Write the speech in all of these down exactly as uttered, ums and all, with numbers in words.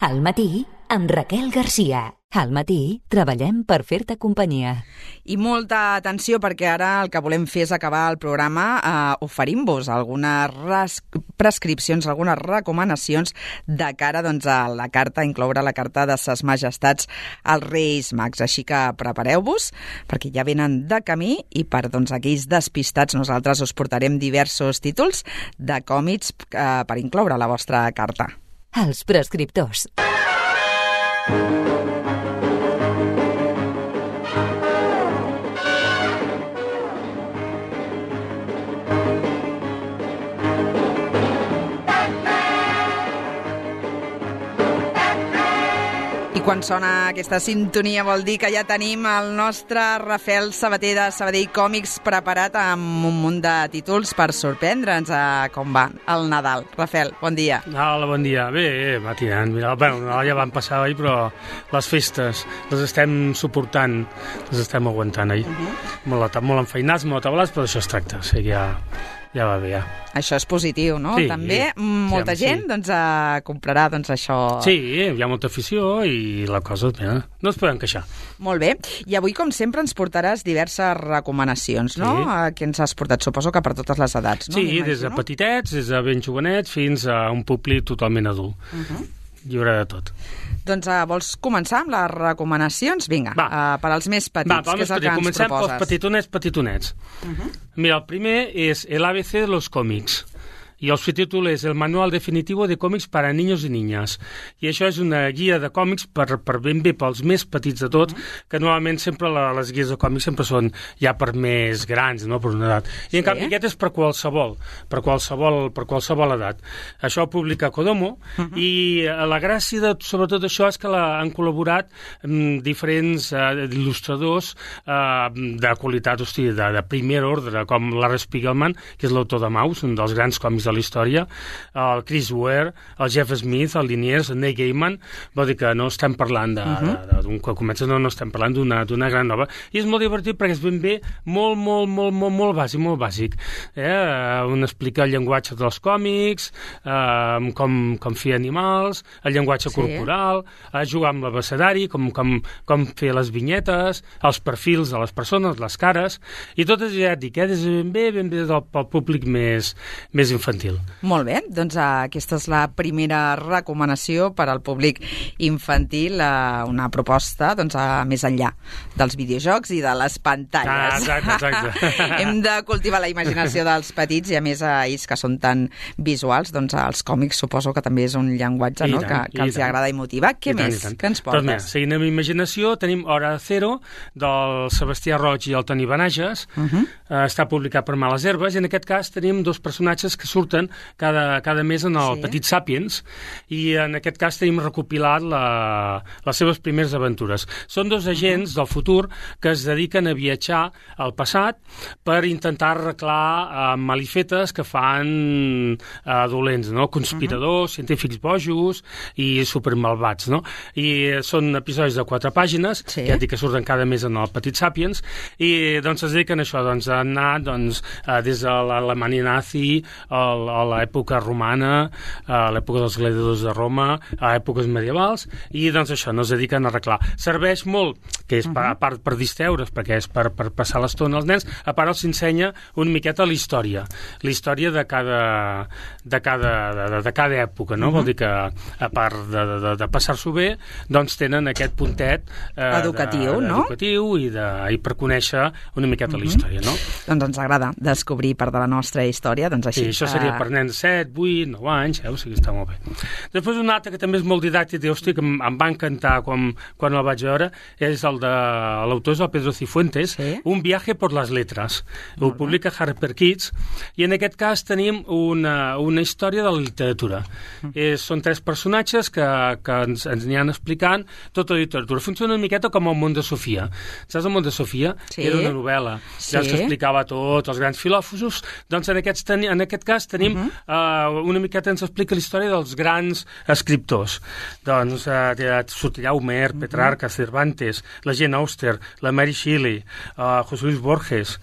Al matí, amb Raquel Garcia. Al matí, treballem per fer-te companyia. I molta atenció, perquè ara el que volem fer és acabar el programa eh, oferint-vos algunes res- prescripcions, algunes recomanacions de cara doncs, a la carta, incloure la carta de ses majestats als Reis Mags. Així que prepareu-vos, perquè ja venen de camí i per doncs, aquells despistats nosaltres us portarem diversos títols de còmics eh, per incloure a la vostra carta. Els prescriptors. Quan sona aquesta sintonia vol dir que ja tenim el nostre Rafael Sabater de Sabadell Còmics preparat amb un munt de títols per sorprendre'ns a com va el Nadal. Rafael, bon dia. Hola, bon dia. Bé, va tirant. Mira, bueno, el Nadal ja van passar ahir, però les festes les estem suportant, les estem aguantant ahir. Uh-huh. Molt, molt enfeinats, molt atabalats, però això es tracta. O sigui, ja, ja va bé, ja. Això és positiu, no? Sí, també sí, molta sí, gent sí. doncs, uh, comprarà doncs, això... Sí, hi ha molta afició i la cosa, mira, no es poden queixar. Molt bé. I avui, com sempre, ens portaràs diverses recomanacions, no? Sí. Uh, que ens has portat, suposo que per totes les edats, no? Sí, des de petitets, des de ben jovenets, fins a un públic totalment adult. Uh-huh. Hi haurà de tot. Doncs uh, vols començar amb les recomanacions? Vinga, uh, per als més petits, Va, que és el que ens Comencem proposes. pels petitonets, petitonets. Uh-huh. Mira, el primer és El A B C de los cómics. I el subtítol és El manual definitivo de còmics per a niños i niñas. I això és una guia de còmics per, per ben bé pels més petits de tots, mm. que normalment sempre la, les guies de còmics sempre són ja per més grans, no?, per una edat. I sí. En canvi aquest és per qualsevol, per qualsevol, per qualsevol edat. Això ho publica Kodomo, mm-hmm. i la gràcia de sobretot això és que la, han col·laborat amb diferents uh, il·lustradors uh, de qualitat, hosti, de, de primer ordre, com Larry Spiegelman, que és l'autor de Maus, un dels grans còmics de la història, el Chris Ware, el Jeff Smith, el Liniers, el Neil Gaiman, vol dir que no estem parlant de, uh-huh. de, de, d'un que comença, no, no estem parlant d'una, d'una gran nova, i és molt divertit perquè és ben bé molt, molt, molt, molt, molt bàsic, molt bàsic. Eh? On explica el llenguatge dels còmics, eh, com, com fer animals, el llenguatge sí. corporal, eh, jugar amb l'abecedari, com, com, com fer les vinyetes, els perfils de les persones, les cares, i tot és, ja et dic, eh, des de ben bé, ben bé del, pel públic més, més infantil. Molt bé, doncs uh, aquesta és la primera recomanació per al públic infantil, uh, una proposta doncs, uh, més enllà dels videojocs i de les pantalles. Ah, exacte, exacte. Hem de cultivar la imaginació dels petits i a més a ells que són tan visuals, doncs els còmics suposo que també és un llenguatge no? tant, que, que els agrada i motiva. Què I més? Què ens portes? Doncs mira, seguint amb imaginació, tenim Hora Cero del Sebastià Roig i el Toni Benages. Uh-huh. uh, està publicat per Males Herbes i en aquest cas tenim dos personatges que surten cada, cada mes en el sí. Petit Sapiens i en aquest cas tenim recopilat la, les seves primeres aventures. Són dos agents uh-huh. del futur que es dediquen a viatjar al passat per intentar arreglar uh, malifetes que fan uh, dolents, no? Conspiradors, uh-huh. científics bojos i supermalvats, no? I són episodis de quatre pàgines, sí. ja dic que surten cada mes en el Petit Sapiens, i doncs es dediquen a això, doncs, a anar doncs, uh, des de l'Alemanya nazi, el a l'època romana, a l'època dels gladiadors de Roma, a èpoques medievals, i doncs això, no es dediquen a arreglar. Serveix molt, que és per, a part per distreure's, perquè és per, per passar l'estona als nens, a part els ensenya una miqueta la història, la història de cada, de cada, de, de cada època, no? Uh-huh. Vol dir que, a part de, de, de passar-s'ho bé, doncs tenen aquest puntet eh, educatiu, de, no? educatiu i, de, i per conèixer una miqueta uh-huh. la història, no? Doncs ens agrada descobrir part de la nostra història, doncs així. Sí, això seria per nens set, vuit, nou anys, eh? O sigui, està molt bé. Després un altre que també és molt didàctic i hosti, que em, em va encantar quan, quan el vaig veure, és el de l'autor és el Pedro Cifuentes, sí? Un viaje por las letras. Ho publica Harper Kids, i en aquest cas tenim una, una història de la literatura. Mm. Eh, són tres personatges que, que ens, ens n'hi han explicant tota la literatura. Funciona una miqueta com el món de Sofia. Saps el món de Sofia? Sí. Era una novel·la. Sí. Ja que explicava tot, els grans filòsofos. Doncs en, aquests, en aquest cas tenim uh -huh. uh, una miqueta ens explica la història dels grans escriptors. Doncs uh, sortirà Homer, Petrarca, Cervantes, la Jane Austen, la Mary Shelley, uh, José Luis Borges,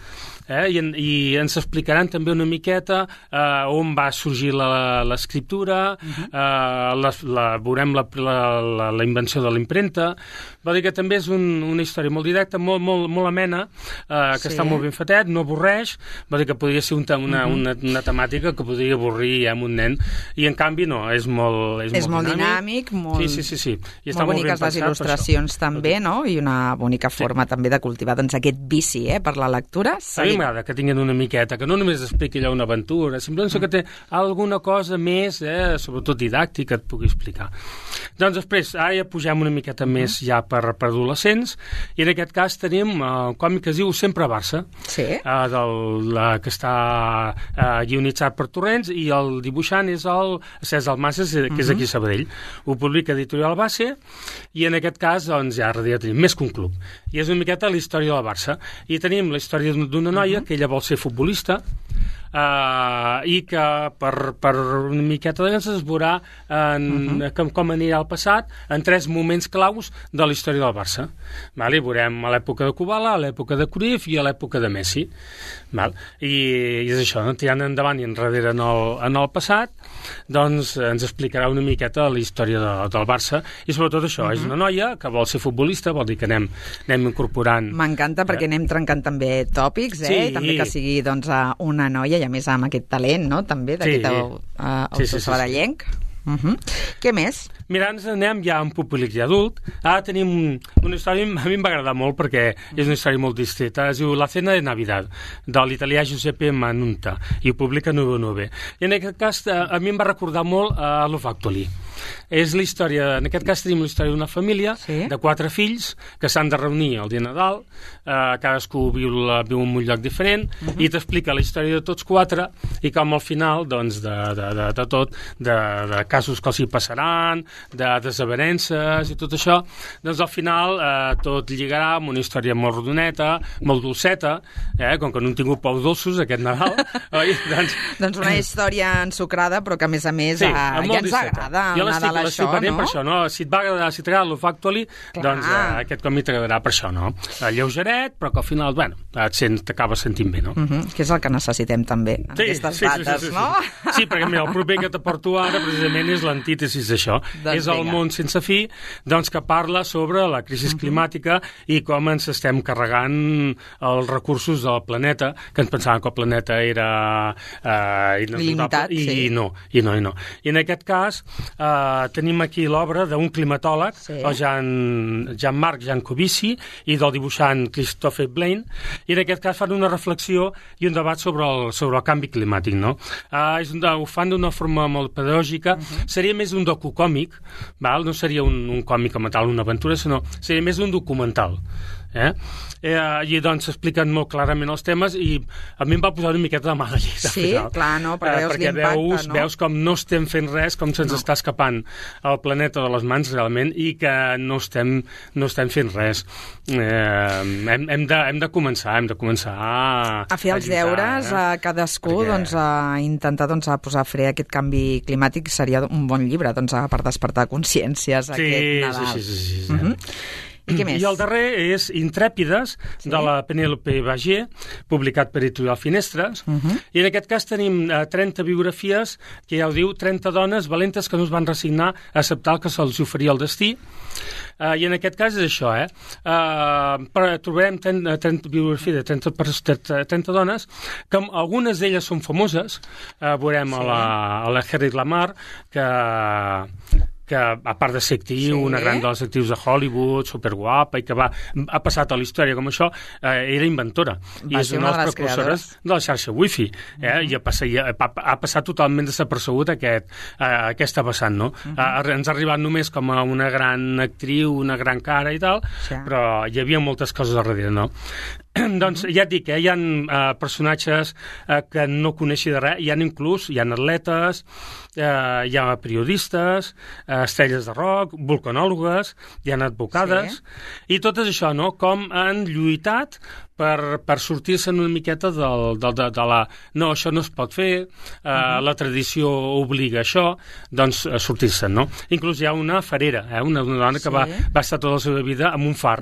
Eh? I, i ens explicaran també una miqueta eh, on va sorgir l'escriptura, uh-huh. eh, la, la, veurem la, la, la, la invenció de l'impremta. Va dir que també és un, una història molt directa, molt, molt, molt amena, eh, que sí. està molt ben fetet, no avorreix. Va dir que podria ser un, una, uh-huh. una, una temàtica que podria avorrir eh, amb un nen, i en canvi no, és molt És, és molt, molt dinàmic, molt, sí, sí, sí, sí. I molt boniques les il·lustracions també, no? I una bonica forma sí. també de cultivar doncs, aquest vici eh, per la lectura. Sí. M'agrada que tinguin una miqueta, que no només expliqui allò una aventura, simplement mm. que té alguna cosa més, eh, sobretot didàctica, que et pugui explicar. Doncs després, ara ja pugem una miqueta mm. més ja per, per adolescents, i en aquest cas tenim el uh, còmic que es diu Sempre a Barça, sí. uh, del, la, que està uh, guionitzat per Torrents, i el dibuixant és el César Masses, que mm-hmm. és aquí a Sabadell. Ho publica Editorial Base, i en aquest cas, doncs, ja ja tenim més que un club. I és una miqueta la història del Barça. I tenim la història d'una noia mm-hmm. que ella vol ser futbolista, Uh, i que per, per una miqueta de temps es veurà en, uh-huh. com, com anirà el passat en tres moments claus de la història del Barça. Vale? Veurem a l'època de Kubala, a l'època de Cruyff i a l'època de Messi. Val? I, i és això, no? Tirant endavant i enrere en el, en el passat, doncs ens explicarà una miqueta la història de, del Barça, i sobretot això, uh-huh. és una noia que vol ser futbolista, vol dir que anem, anem incorporant... M'encanta perquè eh? anem trencant també tòpics, eh? Sí. I també que sigui doncs, una noia, i a més amb aquest talent, no?, també, d'aquest sí. uh, autor sí, sí, sí, sabadellenc. Sí. Uh-huh. Què més? Mira, ens anem ja en públic i adult. Ara tenim una història, a mi em va agradar molt perquè és una història molt distreta. Es diu La cena de Navidad, de l'italià Giuseppe Manunta, i ho publica nou nou. I en aquest cas a mi em va recordar molt a Love Actually. És la història, en aquest cas tenim la història d'una família sí? de quatre fills que s'han de reunir el dia de Nadal, eh, cadascú viu, viu en un lloc diferent, uh-huh. i t'explica la història de tots quatre i com al final, doncs, de, de, de, de tot, de, de casos que els hi passaran, de desavenences i tot això, doncs al final eh, tot lligarà amb una història molt rodoneta, molt dolceta, eh, com que no han tingut pous dolços aquest Nadal. Oi? Doncs... doncs una història ensucrada, però que a més a més sí, eh, ja ens discreta. agrada el Nadal això, no? Per això, no? Si et va agradar, si t'agrada Love Actually, doncs eh, aquest còmic t'agradarà per això, no? Lleugeret, però que al final, bueno, et sent, t'acabes sentint bé, no? Uh-huh, que és el que necessitem també, en sí, aquestes sí, dates, sí, sí, sí, no? Sí, sí, perquè mira, el proper que t'aporto ara precisament és l'antítesis d'això. Doncs és el vinga. Món sense fi, doncs que parla sobre la crisi uh-huh. climàtica i com ens estem carregant els recursos del planeta, que ens pensàvem que el planeta era eh, limitat, i, sí. i no, i no, i no. I en aquest cas eh, tenim aquí l'obra d'un climatòleg, sí. el Jean, Jean-Marc Jancovici, i del dibuixant Christophe Blaine, i en aquest cas fan una reflexió i un debat sobre el, sobre el canvi climàtic, no? Uh, és un, ho fan d'una forma molt pedagògica, uh-huh. seria més un docukòmic, val? No seria un, un còmic com a tal, una aventura, sinó seria més un documental. Eh? Eh, i doncs s'expliquen molt clarament els temes i a mi em va posar una miqueta de mala llet. Sí, clar, no? Perquè, eh, perquè veus, no? veus com no estem fent res, com se'ns no. està escapant el planeta de les mans realment i que no estem, no estem fent res. Eh, hem, hem, de, hem de començar, hem de començar a... A fer els a lluitar, deures eh? a cadascú, perquè... doncs, a intentar doncs, a posar fre a aquest canvi climàtic seria un bon llibre doncs, per despertar consciències sí, aquest Nadal. Sí, sí, sí. sí, sí. Uh-huh. I què més? I el darrer és Intrèpides, sí? de la Penélope Bagier, publicat per Editorial Finestres. Uh-huh. I en aquest cas tenim uh, trenta biografies, que ja ho diu, trenta dones valentes que no es van resignar a acceptar el que se'ls oferia el destí. Uh, I en aquest cas és això, eh? Uh, però trobarem trenta, trenta biografies de trenta, trenta dones, que algunes d'elles són famoses. Uh, veurem sí. a la, a la Harriet Lamar, que... que a part de ser actriu, sí. una gran de les actrius de Hollywood, superguapa, i que va, ha passat a la història com això, eh, era inventora. Va I és una de les precursores de la xarxa Wi-Fi. Eh? Uh-huh. I ha passat, ha, ha passat totalment desapercebut aquest, eh, aquesta vessant, no? Uh-huh. Eh, ens ha arribat només com a una gran actriu, una gran cara i tal, sí. però hi havia moltes coses al darrere, no? Doncs ja et dic, eh, hi ha eh, personatges eh, que no coneixi de res, hi ha inclús, hi ha atletes, eh, hi ha periodistes, eh, estrelles de rock, vulcanòlogues, hi ha advocades, sí. i tot és això, no? Com han lluitat per, per sortir-se'n una miqueta del, del, de, de la... No, això no es pot fer, eh, uh-huh. la tradició obliga això, doncs eh, sortir-se'n, no? Inclús hi ha una farera, eh, una, una dona que sí. va, va estar tota la seva vida amb un far,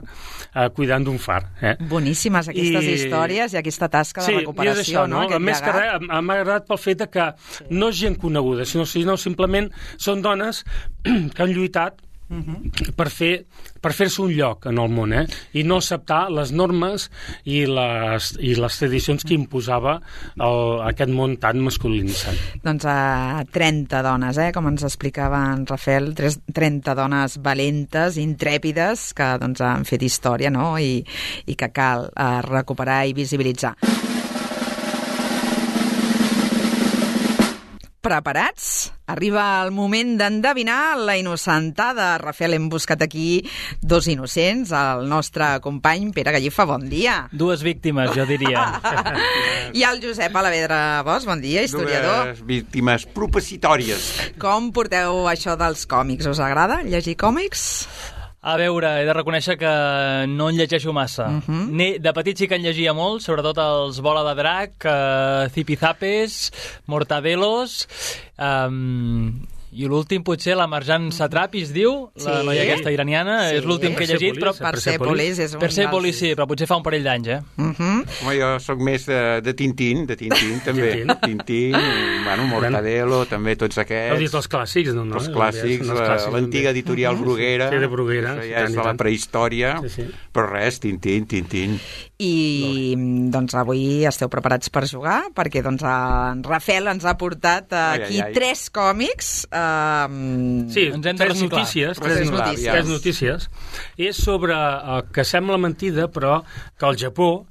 eh, cuidant d'un far. Eh? Boníssimes aquestes I... històries i aquesta tasca sí, de recuperació, és això, no? no? Aquest més llegat. Que res, m'ha agradat pel fet que sí. no és gent coneguda, sinó, sinó simplement són dones que han lluitat Uh-huh. per fer per fer-se un lloc en el món, eh? I no acceptar les normes i les, i les tradicions que imposava el, aquest món tan masculinitzat. Doncs a trenta dones, eh? Com ens explicava en Rafael, trenta dones valentes, intrèpides, que doncs, han fet història, no? I, i que cal eh, recuperar i visibilitzar. Preparats? Arriba el moment d'endevinar la innocentada. Rafael, hem buscat aquí dos innocents, el nostre company Pere Gallifa, bon dia. Dues víctimes, jo diria. I el Josep Alavedra Bosch, bon dia, historiador. Dues víctimes propicitòries. Com porteu això dels còmics? Us agrada llegir còmics? A veure, he de reconèixer que no en llegeixo massa. Uh-huh. De petit sí que en llegia molt, sobretot els Bola de Drac, uh, Zipizapes, Mortadelos... Um, i l'últim potser la Marjan Satrapi es diu, sí. la noia aquesta iraniana, sí. és l'últim que he llegit, però Persepolis és un Persepolis sí, però potser fa un parell d'anys, eh? Uh-huh. Home, jo sóc més de, de Tintín, de Tintín també. Tintín, bueno, Mortadelo, també tots aquests. Heu dit els clàssics, no? no? Els clàssics, l'antiga editorial uh-huh. Bruguera, sí, de Bruguera, això ja és de la prehistòria, sí, sí. però res, Tintín, Tintín. I doncs avui esteu preparats per jugar, perquè doncs en Rafael ens ha portat aquí ai, ai, ai. tres còmics. Um... Sí, tres notícies, tres, notícies. tres notícies. És sobre el que sembla mentida, però que al Japó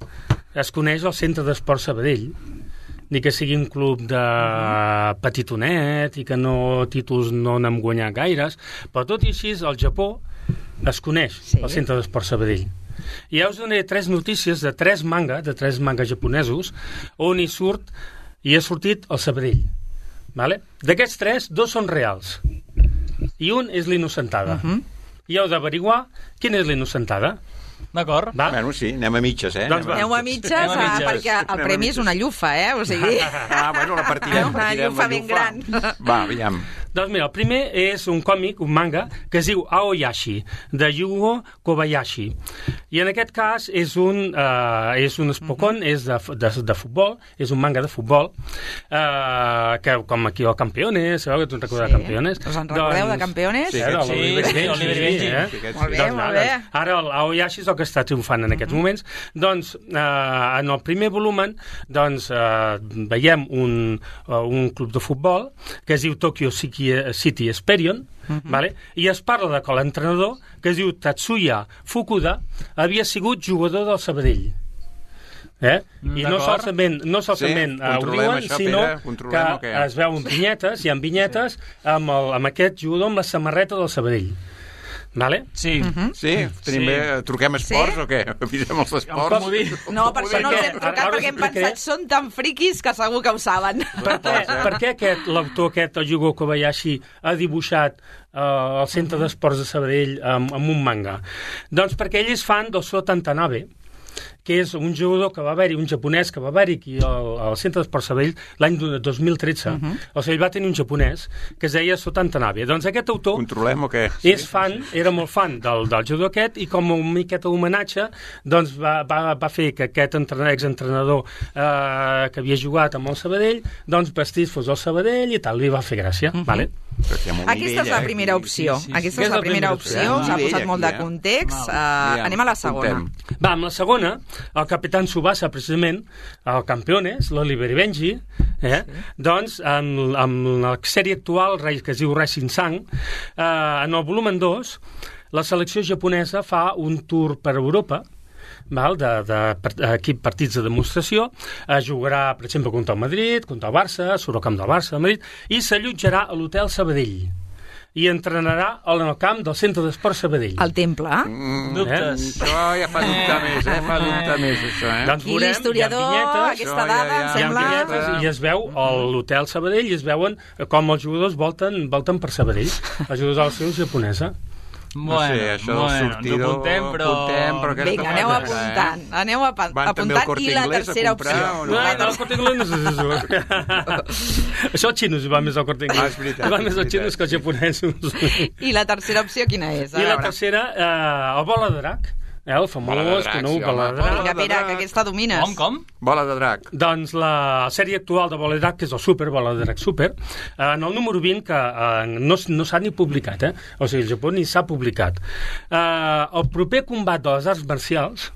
es coneix el Centre d'Esport Sabadell, ni que sigui un club de petitonet i que no títols no n'hem guanyat gaires, però tot i així al Japó es coneix sí. el Centre d'Esport Sabadell. I ja us donaré tres notícies de tres manga, de tres mangas japonesos, on hi surt, i ha sortit el Sabadell. Vale? D'aquests tres, dos són reals. I un és l'innocentada. Uh-huh. I heu d'averiguar quina és l'innocentada. D'acord. Bueno, sí, anem a mitges, eh? Doncs aneu a mitges, anem a mitges. Ah, perquè el anem premi és una llufa, eh? O sigui... Ah, bueno, la partirem. Una llufa ben gran. Va, aviam. Doncs mira, el primer és un còmic, un manga, que es diu Aoyashi, de Yugo Kobayashi. I en aquest cas és un, uh, és un espocón, uh-huh. és de, de, de futbol, és un manga de futbol, uh, que com aquí el Campeones, sabeu que tu en recordes sí. Campeones? Us en recordeu doncs, de Campeones? Sí, sí, sí, sí, Oliver i Benji. Eh? Sí, molt bé, doncs, molt bé. Ara el Aoyashi és el que està triomfant en aquests uh-huh. moments. Doncs, uh, en el primer volumen, doncs, uh, veiem un, uh, un club de futbol que es diu Tokyo City City Esperion, uh-huh. vale? I es parla de que l'entrenador, que es diu Tatsuya Fukuda, havia sigut jugador del Sabadell. Eh? I no solament, no solament sí, ho diuen, això, sinó Pere, que es veuen vinyetes, hi ha vinyetes sí. amb, el, amb aquest jugador amb la samarreta del Sabadell. Vale? Sí. Uh-huh. Sí, tenim sí. Bé, truquem esports sí? o què? Avisem els esports? No, per això no els hem trucat, perquè hem pensat són tan friquis que segur que ho saben. Per què, per què aquest, l'autor aquest, el Yugo Kobayashi, ha dibuixat uh, el Centre d'Esports de Sabadell amb, amb un manga? Doncs perquè ell és fan del Sota Watanabe, que és un jugador que va haver-hi, un japonès que va haver-hi aquí al, al Centre d'Esport Sabadell l'any dos mil tretze. Uh-huh. O sigui, ell va tenir un japonès que es deia Sota Watanabe. Doncs aquest autor... Controlem o què? És fan, era molt fan del, del jugador aquest i com un miqueta homenatge doncs va, va, va fer que aquest exentrenador eh, que havia jugat amb el Sabadell doncs vestís fos el Sabadell i tal, li va fer gràcia. Uh-huh. Vale? Aquesta nivell, és la primera opció. Sí, sí, sí. Aquesta és la primera opció, s'ha posat molt de context. Uh, anem a la segona. Va, amb la segona, el Capitán Tsubasa, precisament, el Campeones, l'Oliver i Benji, eh? Sí. Doncs, amb, amb la sèrie actual, que es diu Rising Sun, eh, en el volumen dos, la selecció japonesa fa un tour per Europa, val, de, de, de equip partits de demostració, eh, jugarà, per exemple, contra el Madrid, contra el Barça, surt al camp del Barça, del Madrid, i s'allotjarà a l'Hotel Sabadell. I entrenarà en el camp del Centre d'Esport Sabadell. El temple. Mm, dubtes. Eh? Això ja fa dubtar més, eh? Fa dubtar més, això, eh? Doncs veurem, l'historiador, vinyetes, aquesta dada, ja, ja, em sembla... Hi ha vinyetes i es veu a l'Hotel Sabadell i es veuen com els jugadors volten, volten per Sabadell. Els jugadors de la selecció japonesa. No Bueno, sé, això del bueno, ens sortidor... apuntem, però- apuntem, però aquesta Vinga, aneu cosa, apuntant, eh? aneu apa- Van també al apuntant. Corte I la Inglés a tercera comprar, opció. o No, no? no, el Corte Inglés no és això. Això els xinos van més al Corte Inglés. Ah, és veritat, Van més és els xinos que els japonesos. I la tercera opció quina és? A I la veure. tercera, eh, el bola de drac. Eh, el famós, Bola de drac, conegut sí, bola home. de drac. Vinga, Pere, que aquesta domines. Com, com? Bola de drac. Doncs la sèrie actual de Bola de Drac, que és el Super, Bola de Drac Super, eh, en el número vint, que eh, no, no s'ha ni publicat, eh? O sigui, el Japó ni s'ha publicat. Eh, el proper combat de les arts marcials,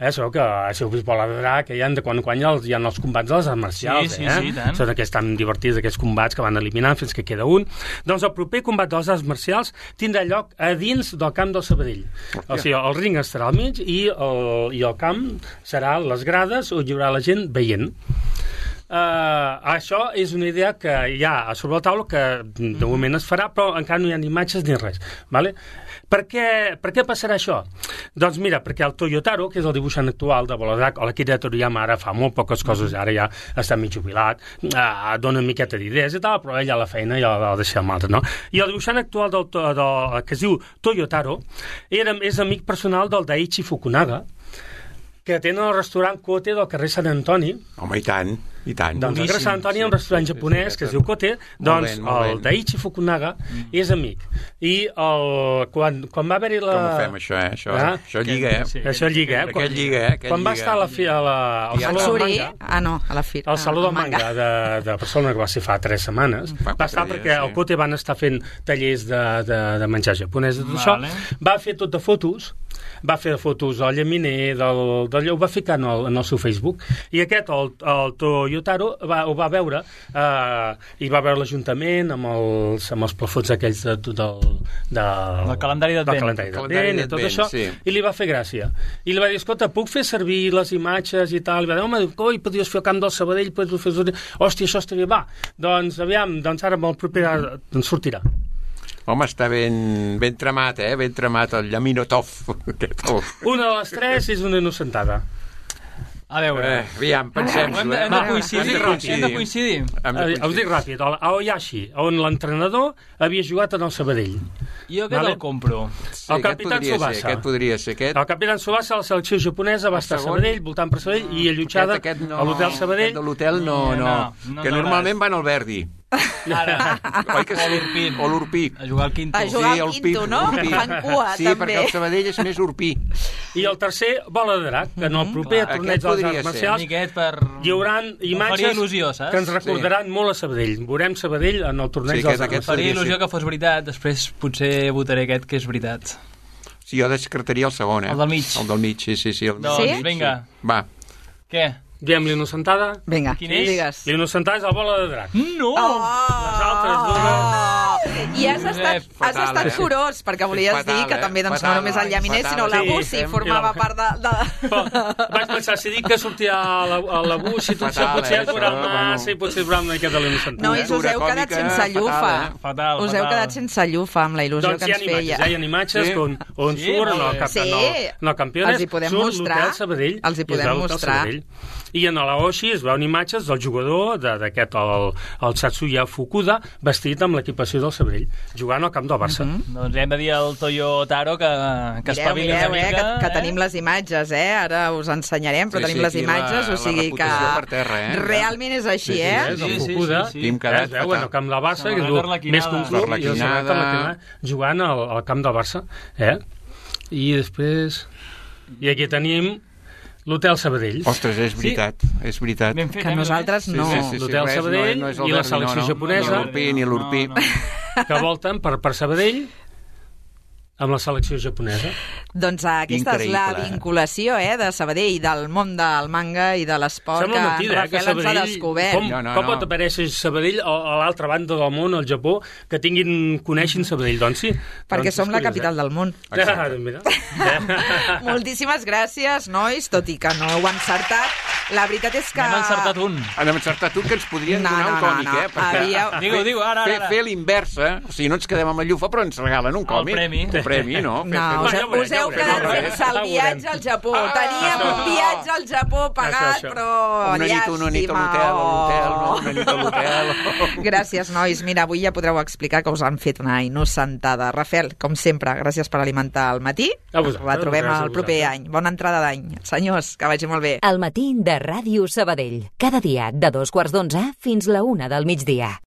eh, sabeu que si heu vist Bola de Drac, que hi ha de quan en quan hi ha, els, hi ha els combats de les arts marcials, Sí, sí, eh? sí, tant. Són aquests tan divertits, aquests combats que van eliminant fins que queda un. Doncs el proper combat de les arts marcials tindrà lloc a dins del camp del Sabadell. O sigui, el ring estarà al mig i el, i el camp serà les grades on hi haurà la gent veient. Uh, això és una idea que hi ha a sobre la taula, que de moment es farà, però encara no hi ha ni imatges ni res. Vale? Per què, per què passarà això? Doncs mira, perquè el Toyotaro, que és el dibuixant actual de Bola de Drac, o l'Akira Toriyama ara fa molt poques coses, ara ja està mig jubilat, uh, dona una miqueta d'idees i tal, però ella la feina ja la deixa amb altres, no? I el dibuixant actual del, del, que es diu Toyotaro era, és amic personal del Daiichi Fukunaga, que tenen el restaurant Kote del carrer Sant Antoni. Home, i tant, i tant. Doncs al carrer Sant Antoni hi ha un restaurant sí, japonès sí, que es sí. diu Kote, doncs ben, molt el ben. Daiichi Fukunaga és amic. I el, quan, quan va haver-hi la... Com ho fem, això, eh? Això, Ah, això lliga, eh? sí. Això lliga, eh? Aquest lliga, eh? Aquest Quan va lliga. estar a la, fi, a la, al Ja Saló del Suri, Manga, ah no, a la fi. al Saló del Manga de, de Barcelona, que va ser fa tres setmanes, Fa va quatre estar dies, perquè sí. al Kote van estar fent tallers de, de, de menjar japonès i tot Vale. això. Va fer tot de fotos, va fer fotos al llaminer, del, del, ho va ficar en el, en el seu Facebook, i aquest, el, el Toyotaro, va, ho va veure, eh, i va veure l'Ajuntament amb els, amb els plafons aquells de, del, de, El calendari d'Advent. del calendari El calendari d'Advent i tot d'Advent, això, sí. i li va fer gràcia. I li va dir, escolta, puc fer servir les imatges i tal? I va dir, home, coi, podries fer el camp del Sabadell, podries fer... Hòstia, això estaria bé. Doncs, aviam, doncs ara amb el proper doncs sortirà. Home, està ben, ben tramat, eh? Ben tramat el Llaminotov. Una de les tres és una innocentada. A veure... Eh, aviam, pensem-ho, Hem de, eh? hem de coincidir, Hem de coincidir. hem de coincidir. Hem de Eh, us dic ràpid, a Aoyashi, on l'entrenador havia jugat en el Sabadell. Jo aquest Vale. el compro. Sí, el aquest capità podria Tsubasa. ser, aquest podria ser, aquest... El capità Tsubasa, la selecció japonesa, va El estar a segon. Sabadell, voltant per Sabadell, i allotjada Aquest, aquest no, a l'hotel Sabadell. Aquest de l'hotel no, No, no, no, que no normalment van al Verdi. Ara, Oi que sí? O l'Urpí. O l'Urpí. a jugar al quinto. A jugar al el quinto, Pi- no? Urpí. Fan cua, sí, també. perquè el Sabadell és més Urpí. I el tercer, Bola de Drac, que en el proper Clar, torneig aquest de les podria arts ser. marcials Aquest per... hi haurà Em faria imatges il·lusió, saps? que ens recordaran molt a Sabadell. Veurem Sabadell en el torneig Sí, de les aquest- arts aquest marcials. Faria podria il·lusió ser. que fos veritat, després potser votaré aquest que és veritat. Sí, jo descartaria el segon, eh? El del mig. El del mig, sí, sí. sí el Doncs, Sí? vinga. Va. Què? Diem l'inocentada. Vinga, Quin és? digues. L'inocentada és la Bola de Drac. No! Oh! Les altres dues... I has estat, has Fatal, estat eh? curós, perquè volies Fatal, dir que eh? també doncs, Fatal, no només el llaminer, fatal. sinó la Sí, Bussi sí, formava sí. part de... de... Però vaig pensar, si dic que sortia a la, a la bus i tot això, Fatal, potser eh, és veurà això, massa i potser és veurà una miqueta l'inocentada. Nois, us heu Cultura quedat còmica, sense llufa. fatal, eh? Fatal, Us heu fatal. quedat sense llufa amb la il·lusió Doncs que hi ha ens imatges, feia. eh? Hi ha imatges Sí. on, on Sí, surt en molt el, bé. cap, Sí. en el, en el campionat, Els hi podem surt mostrar. l'hotel Sabadell. Els hi i es podem veu l'hotel mostrar. Sabadell. I en l'Aoshi es veuen imatges del jugador de- d'aquest, el, el Satsuya Fukuda, vestit amb l'equipació del Sabadell, jugant al camp del Barça. Mm -hmm. Doncs hem de dir al Toyotaro que, que Mireu, espavili mireu, una eh, mica. que, que tenim les imatges, eh? Ara us ensenyarem, però Sí, tenim sí, les aquí la- imatges, o la sigui que reputació per terra, eh? realment és així, Sí, eh? és Sí, el sí, Fukuda. sí, sí. I hem Eh, quedat es veu en el fatal. camp del Barça, que Samarreta diu, arlequinada. més que un club, i el samarreta arlequinada, jugant al, al camp del Barça. Eh? I després... I aquí tenim l'hotel Sabadell. Ostres, és veritat, és veritat. Ben fet, Que eh, nosaltres Sí, no. sí, sí, sí, L'hotel res, Sabadell no, no és el i la Verdi, selecció no, no. japonesa. Ni l'Urpí, ni l'Urpí. No, no. Que volten per, per Sabadell amb la selecció japonesa. Doncs aquesta és la Increïble. vinculació, eh, de Sabadell, del món del manga i de l'esport que Sembla en mentida, eh, que Rafael ens ha Sabadell... descobert. Com, No, no, com no. pot aparèixer Sabadell a, a l'altra banda del món, al Japó, que tinguin, coneixin Sabadell? Doncs sí. Perquè doncs som és la curiós, capital del món. Eh? Ah, mira. Moltíssimes gràcies, nois, tot i que no heu encertat. la veritat és que... N'hem encertat un. Hem encertat un que ens podrien No, donar no, un no, còmic, no. eh? Perquè Havíeu- Digue-ho, digue-ho, ara, fer, ara. fer l'inversa, o sigui, no ens quedem amb el llufa, però ens regalen un còmic. premi. Un premi, no? Fer- No, fer- us, ja ho veurem, us ja heu ho veurem. quedat Ja ho veurem. sense el Ja ho viatge veurem. al Japó. Ah, Teníem això. un viatge al Japó pagat, això. però Una nit, una nit a l'hotel, a l'hotel, no? Una nit a l'hotel. Gràcies, nois. Mira, avui ja podreu explicar que us han fet una innocentada. Rafael, com sempre, gràcies per alimentar el matí. A vosaltres, Retrobem gràcies a el proper vosaltres. any. Bona entrada d'any. Senyors, que vagi molt bé. El matí de Ràdio Sabadell. Cada dia de dos quarts d'onze fins la una del migdia.